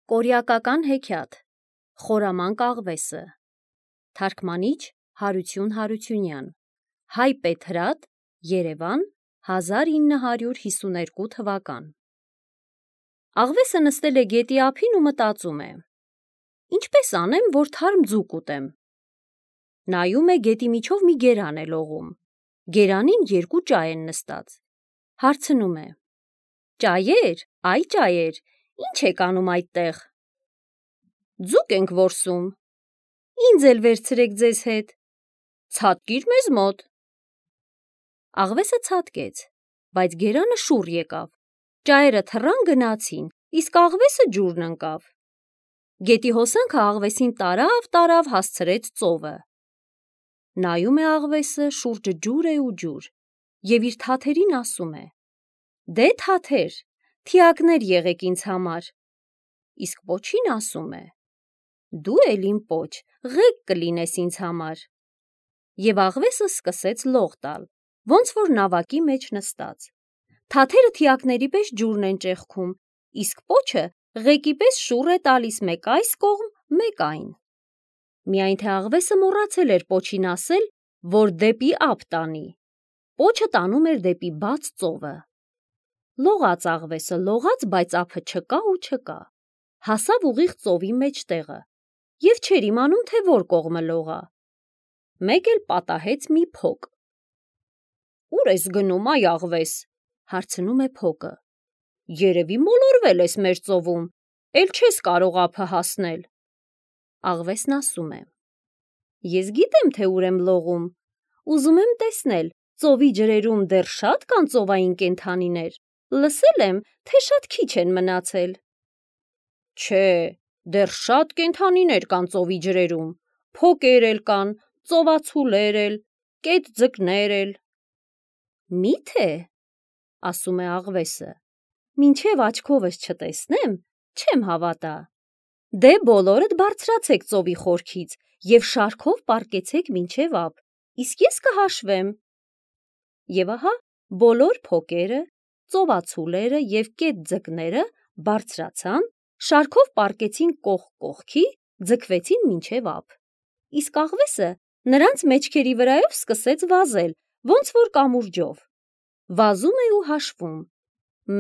Կորյակական հեքիաթ, խորամանկ աղվեսը, թարգմանիչ Հարություն Հարությունյան, Հայ Պետհրատ, Երևան, 1952 թվական։ Աղվեսը նստել է գետի ափին ու մտածում է. ինչպես անեմ, որ թարմ ձուկ ուտեմ։ Նայում է գետի միջով մի գերան է լողում, գերանին երկու ճայ են նստած։ Հարցնում է. ճայեր, այ ճայեր, ինչ եք անում այդտեղ։ Ձուկ ենք որսում։ Ինձ էլ վերցրեք ձեզ հետ։ Ցատկիր մեզ մոտ։ Աղվեսը ցատկեց, բայց գերանը շուռ եկավ։ Ճայերը թռան գնացին, իսկ աղվեսը ջուրն ընկավ։ Գետի հոսանքը աղվեսին տարավ հասցրեց ծովը։ Նայում է աղվեսը, շուրջը ջուր է ու ջուր, և իր թաթերին ասում է. դե թաթեր, թիակներ եղեք ինձ համար։ Իսկ պոչին ասում է. դու էլ իմ պոչ, ղեկ կլինես ինձ համար։ Եվ աղվեսը սկսեց լող տալ, ոնց որ նավակի մեջ նստած։ Թաթերը թիակների պես ջուրն են ճեղքում, իսկ պոչը ղեկի պես շուռ է տալիս մեկ այս կողմ, մեկ այն։ Միայն թե աղվեսը մոռացել էր պոչին ասել, որ դեպի ափ տանի։ Պոչը տանում էր դեպի բաց ծովը։ Լողաց աղվեսը, լողաց, բայց ափը չկա ու չկա։ Հասավ ուղիղ ծովի մեջտեղը և չէր իմանում, թե որ կողմը լողա։ Մեկ էլ պատահեց մի փոկ։ Ուր ես գնում, այ աղվես, հարցնում է փոկը։ Երևի մոլորվել ես մեր ծովում, էլ չես կարող ափը հասնել։ Աղվեսն ասում է. ես գիտեմ, թե ուր եմ լողում, ուզում եմ տեսնել, ծովի ջրերում դեռ շատ կան ծովային կենդանիներ, լսել եմ, թե շատ քիչ են մնացել։ Չէ, դեռ շատ կենդանիներ կան ծովի ջրերում, փոկեր էլ կան, ծովացուլեր էլ, կետ-ձկներ էլ։ Մի՞թե, ասում է աղվեսը, մինչև աչքովս չտեսնեմ, չեմ հավատա։ Դե բոլորդ բարձրացեք ծովի խորքից և շարքով պառկեցեք մինչև ափ, իսկ ես կհաշվեմ։ Եվ ահա բոլոր փոկերը, ծովացուլերը և կետ-ձկները բարձրացան, շարքով պառկեցին կողք կողքի, ձգվեցին մինչև ափ, իսկ աղվեսը նրանց մեջքերի վրայով սկսեց վազել, ոնց որ կամուրջով։ Վազում է ու հաշվում.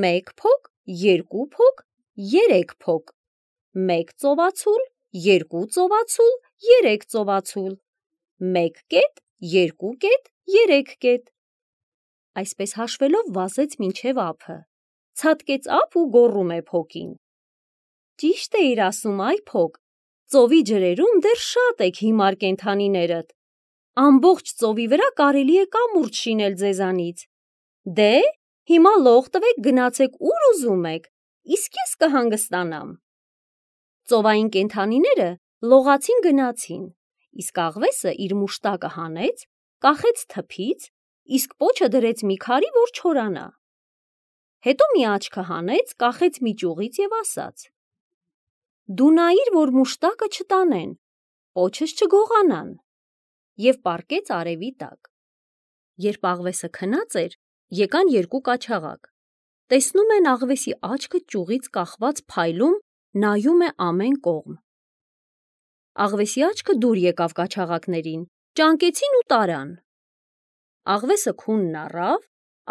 մեկ փոկ, երկու փոկ, երեք փոկ, մեկ ծովացուլ, երկու ծովացուլ, երեք ծովացուլ, մեկ կետ, երկու կետ, երեք կետ։ Այսպես հաշվելով վազեց մինչև ափը, ցատկեց ափ ու գոռում է փոկին. ճիշտ էիր ասում, այ փոկ, ծովի ջրերում դեռ շատ եք հիմար կենդանիներդ։ Ամբողջ ծովի վրա կարելի է կամուրջ շինել ձեզանից։ Դե, հիմա լող տվեք, գնացեք ուր ուզում եք, իսկ ես կհանգստանամ։ Ծովային կենդանիները լողացին գնացին, իսկ աղվեսը իր մուշտակը հանեց, կախեց թփից, իսկ պոչը դրեց մի քարի, որ չորանա։ Հետո մի աչքը հանեց, կախեց մի ճյուղից և ասաց. դու նայիր, որ մուշտակը չտանեն, պոչս չգողանան, և պառկեց արևի տակ։ Երբ աղվեսը քնած էր, եկան երկու կաչաղակ, տեսնում են աղվեսի աչքը ճյուղից կախված փայլում, նայում է ամեն կողմ։ Աղվեսի աչքը դուր եկավ կաչաղակներին, ճանկեցին ու տարան։ Աղվեսը քունն առավ,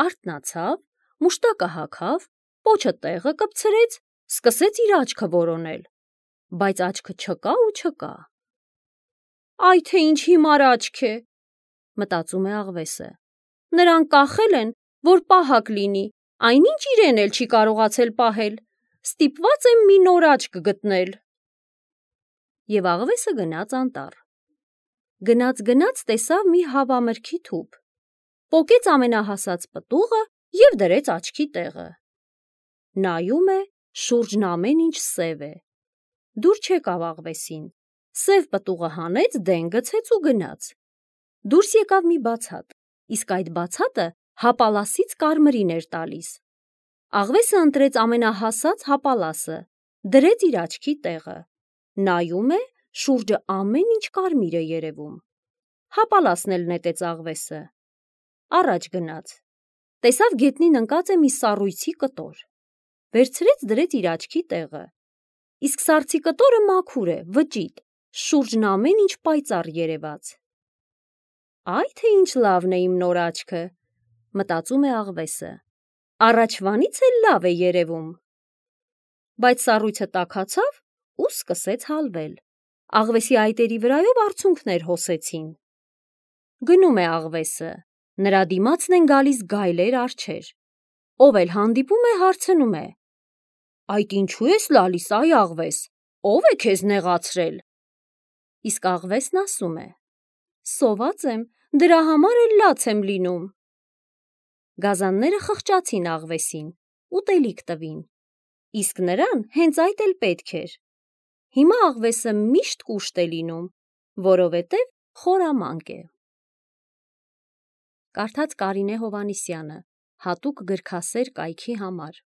արթնացավ, մուշտակը հագավ, պոչը տեղը կպցրեց, սկսեց իր աչքը որոնել, բայց աչքը չկա ու չկա։ Այ թե ինչ հիմար աչք է, մտածում է աղվեսը, նրան կախել են, որ պահակ լինի, այնինչ իրեն էլ չի կարողացել պահել, ստիպված եմ մի նոր աչք գտնել։ Եվ աղվեսը գնաց անտառ։ Գնաց տեսավ մի հավամրգի թուփ, պոկեց ամենահասած պտուղը և դրեց աչքի տեղը։ Նայում է, շուրջն ամեն ինչ սև է։ Դուր չեկավ աղվեսին, սև պտուղը հանեց, դեն գցեց ու գնաց։ Դուրս եկավ մի բացատ, իսկ այդ բացատը հապալասից կարմրին էր տալիս։ Աղվեսը ընտրեց ամենահասած հապալասը, դրեց իր աչքի տեղը։ Նայում է, շուրջը ամեն ինչ կարմիր է երևում։ Հապալասն էլ նետեց աղվեսը։ Առաջ գնաց։ Տեսավ գետնին ընկած է մի սառույցի կտոր։ Վերցրեց, դրեց իր աչքի տեղը։ իսկ սառցի կտորը մաքուր է, վճիտ, շուրջն ամեն ինչ պայծառ երևաց։ Այ թե ինչ լավն է իմ նոր աչքը, մտածում է աղվեսը, առաջվանից էլ լավ է երևում։ Բայց սառույցը տաքացավ ու սկսեց հալվել։ Աղվեսի այտերի վրայով արցունքներ հոսեցին։ Գնում է աղվեսը, նրա դիմացն են գալիս գայլեր արջեր։ Ով էլ հանդիպում է, հարցնում է. Այդ ինչու ես լալիս, այ աղվես, ով է քեզ նեղացրել։ Իսկ աղվեսն ասում է. Սոված եմ, դրա համար էլ լաց եմ լինում։ Գազանները խղճացին աղվեսին, ուտելիք տվին, իսկ նրան հենց այդ էլ պետք էր։ Հիմա աղվեսը միշտ կուշտ է լինում, որովհետև խորամանկ է։ Կարդաց Կարինե Հովհաննիսյանը, հատուկ գրքասեր կայքի համար։